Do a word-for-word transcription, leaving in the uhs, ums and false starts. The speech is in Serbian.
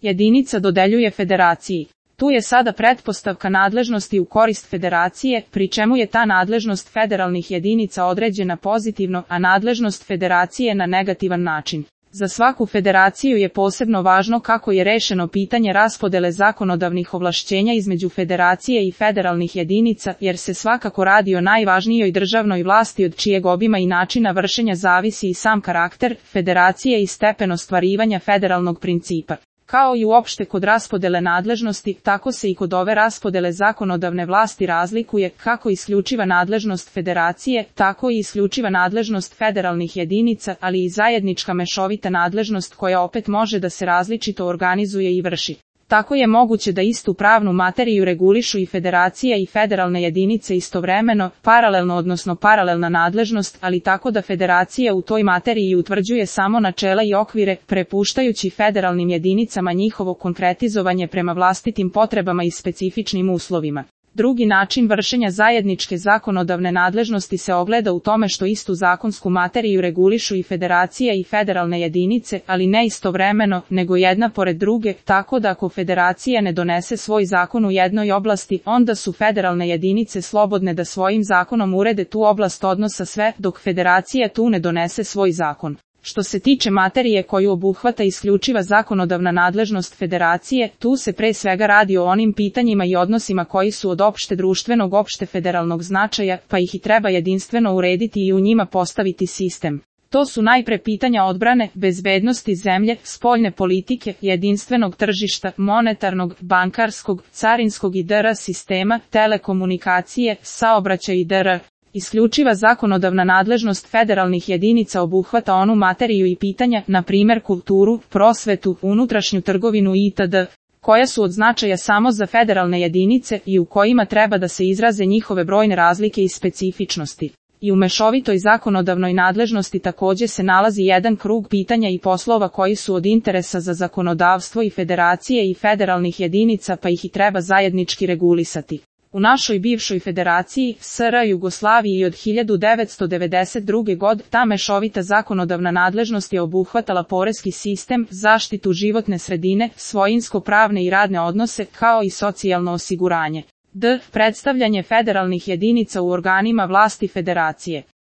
jedinica dodeljuje federaciji. Tu je sada pretpostavka nadležnosti u korist federacije, pri čemu je ta nadležnost federalnih jedinica određena pozitivno, a nadležnost federacije na negativan način. Za svaku federaciju je posebno važno kako je rešeno pitanje raspodele zakonodavnih ovlašćenja između federacije i federalnih jedinica, jer se svakako radi o najvažnijoj državnoj vlasti od čijeg obima i načina vršenja zavisi i sam karakter federacije i stepen ostvarivanja federalnog principa. Kao i uopšte kod raspodele nadležnosti, tako se i kod ove raspodele zakonodavne vlasti razlikuje kako isključiva nadležnost federacije, tako i isključiva nadležnost federalnih jedinica, ali i zajednička mešovita nadležnost koja opet može da se različito organizuje i vrši. Tako je moguće da istu pravnu materiju regulišu i federacija i federalne jedinice istovremeno, paralelno odnosno paralelna nadležnost, ali tako da federacija u toj materiji utvrđuje samo načela i okvire, prepuštajući federalnim jedinicama njihovo konkretizovanje prema vlastitim potrebama i specifičnim uslovima. Drugi način vršenja zajedničke zakonodavne nadležnosti se ogleda u tome što istu zakonsku materiju regulišu i federacija i federalne jedinice, ali ne istovremeno, nego jedna pored druge, tako da ako federacija ne donese svoj zakon u jednoj oblasti, onda su federalne jedinice slobodne da svojim zakonom urede tu oblast odnosa sve, dok federacija tu ne donese svoj zakon. Što se tiče materije koju obuhvata isključiva zakonodavna nadležnost federacije, tu se pre svega radi o onim pitanjima i odnosima koji su od opšte društvenog opšte federalnog značaja, pa ih i treba jedinstveno urediti i u njima postaviti sistem. To su najpre pitanja odbrane, bezbednosti zemlje, spoljne politike, jedinstvenog tržišta, monetarnog, bankarskog, carinskog i dr. sistema, telekomunikacije, saobraćaj i dr. Isključiva zakonodavna nadležnost federalnih jedinica obuhvata onu materiju i pitanja, na primjer kulturu, prosvetu, unutrašnju trgovinu itd., koja su od značaja samo za federalne jedinice i u kojima treba da se izraze njihove brojne razlike i specifičnosti. I u mešovitoj zakonodavnoj nadležnosti također se nalazi jedan krug pitanja i poslova koji su od interesa za zakonodavstvo i federacije i federalnih jedinica, pa ih i treba zajednički regulisati. U našoj bivšoj federaciji, S R Jugoslaviji od hiljadu devetsto devedeset druge. godine, ta mešovita zakonodavna nadležnost je obuhvatala poreski sistem, zaštitu životne sredine, svojinsko-pravne i radne odnose, kao i socijalno osiguranje. D. Predstavljanje federalnih jedinica u organima vlasti federacije.